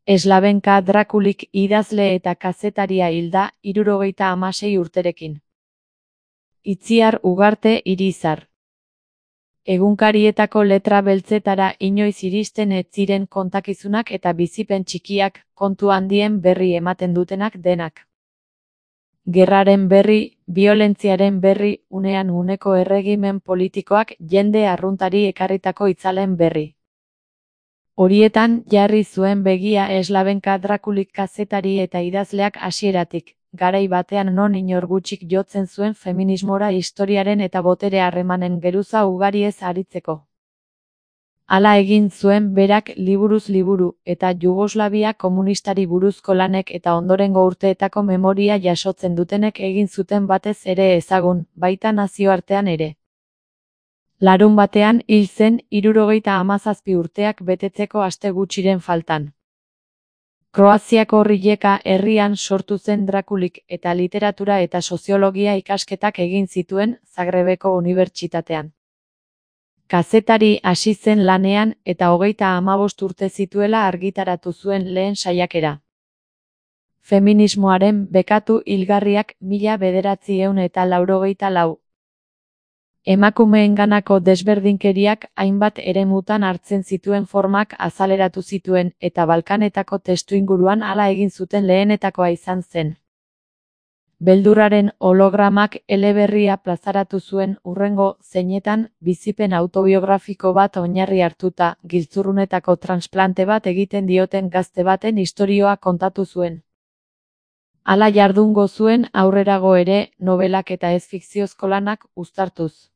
Slavenka Drakulik idazle eta kazetaria hilda 76 urterekin. Itziar Ugarte Irizar. Egunkarietako letra beltzetara inoiz iristen ez ziren kontakizunak eta bizipen txikiak, kontu handien berri ematen dutenak denak. Gerraren berri, biolentziaren berri, unean uneko erregimen politikoak jende arruntari ekarritako itzalen berri. Horietan jarri zuen begia Slavenka Drakulik kazetari eta idazleak hasieratik, garai batean non inor gutxik jotzen zuen feminismora historiaren eta botere harremanen geruza ugariez aritzeko. Hala egin zuen berak liburuz liburu, eta Jugoslavia komunistari buruzko lanek eta ondorengo urteetako memoria jasotzen dutenek egin zuten batez ere ezagun, baita nazioartean ere. Larunbatean hil zen 77 urteak betetzeko aste gutxiren faltan. Kroaziako Rijeka herrian sortu zen Drakulik eta literatura eta soziologia ikasketak egin zituen Zagrebeko unibertsitatean. Kazetari hasi zen lanean eta 35 urte zituela argitaratu zuen lehen saiakera. Feminismoaren bekatu hilgarriak 1984. Emakumeenganako desberdinkeriak hainbat eremutan hartzen zituen formak azaleratu zituen eta Balkanetako testuinguruan hala egin zuten lehenetakoa izan zen. Beldurraren hologramak eleberria plazaratu zuen hurrengo zeinetan bizipen autobiografiko bat oinarri hartuta, giltzurrunetako transplante bat egiten dioten gazte baten istorioa kontatu zuen. Hala jardungo zuen aurrerago ere, nobelak eta ez fikziozko lanak uztartuz.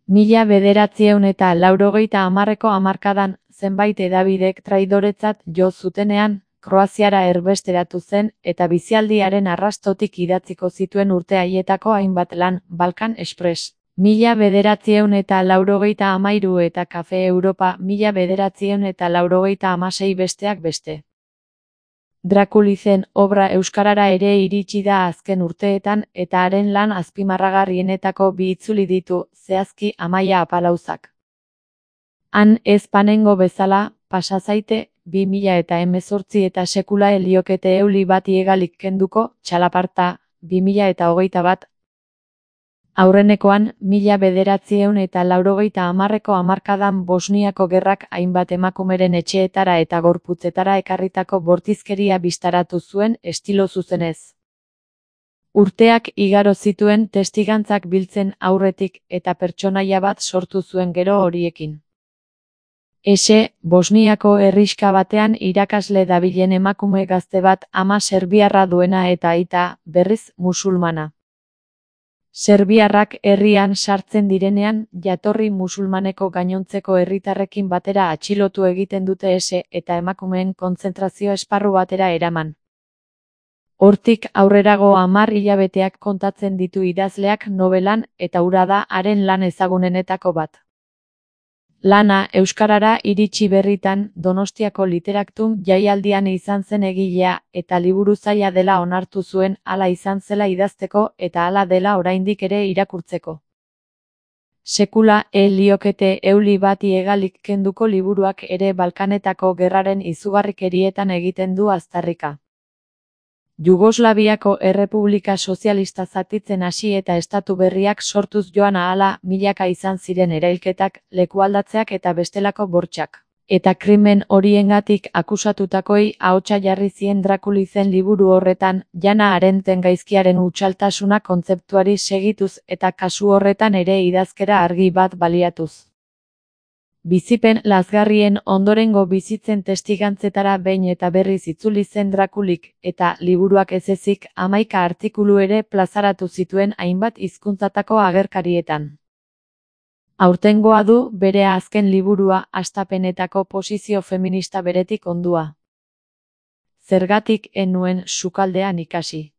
1980ko hamarkadan, zenbait hedabidek traidoretzat jo zutenean, Kroaziara erbesteratu zen eta bizialdiaren arrastotik idatziko zituen urte haietako hainbat lan, Balkan Express, 1983 eta Kafe Europa 1986 besteak beste. Drakulizen obra euskarara ere iritsi da azken urteetan eta haren lan azpimarragarrienetako bi itzuli ditu, zehazki Amaia Apalauzak. Han ez panengo bezala, pasa zaite, 2018 eta sekula heliokete euli bati egalik kenduko, txalaparta, 2021. Aurrenekoan, 1980ko hamarkadan Bosniako gerrak hainbat emakumeren etxeetara eta gorputzetara ekarritako bortizkeria bistaratu zuen estilo zuzenez. Urteak igaro zituen testigantzak biltzen aurretik eta pertsonaia bat sortu zuen gero horiekin. Bosniako herrixka batean irakasle dabilen emakume gazte bat ama serbiarra duena eta aita, berriz, musulmana. Serbiarrak herrian sartzen direnean, jatorri musulmaneko gainontzeko herritarrekin batera atxilotu egiten dute eta emakumeen kontzentrazio esparru batera eraman. Hortik aurrerago 10 hilabeteak kontatzen ditu idazleak nobelan eta hura da haren lan ezagunenetako bat. Lana euskarara iritsi berritan Donostiako Literaktum jaialdian izan zen egilea eta liburu zaila dela onartu zuen hala izan zela idazteko eta hala dela oraindik ere irakurtzeko. Sekula heliokete euli bati egalik kenduko liburuak ere Balkanetako gerraren izugarrikerietan egiten du aztarrika. Jugoslaviako Errepublika Sozialista zatitzen hasi eta estatu berriak sortuz joan ahala milaka izan ziren erailketak, lekualdatzeak eta bestelako bortxak. Eta krimen horiengatik akusatutakoi ahotsa jarri zien Drakulizen liburu horretan, Jana Arendten gaizkiaren hutsaltasuna kontzeptuari segituz eta kasu horretan ere idazkera argi bat baliatuz. Bizipen lazgarrien ondorengo bizitzen testigantzetara behin eta berriz itzuli zen Drakulik, eta liburuak ez ezik 11 artikulu ere plazaratu zituen hainbat hizkuntzatako agerkarietan. Aurtengoa du bere azken liburua hastapenetako posizio feminista beretik ondua. Zergatik ez nuen sukaldean ikasi.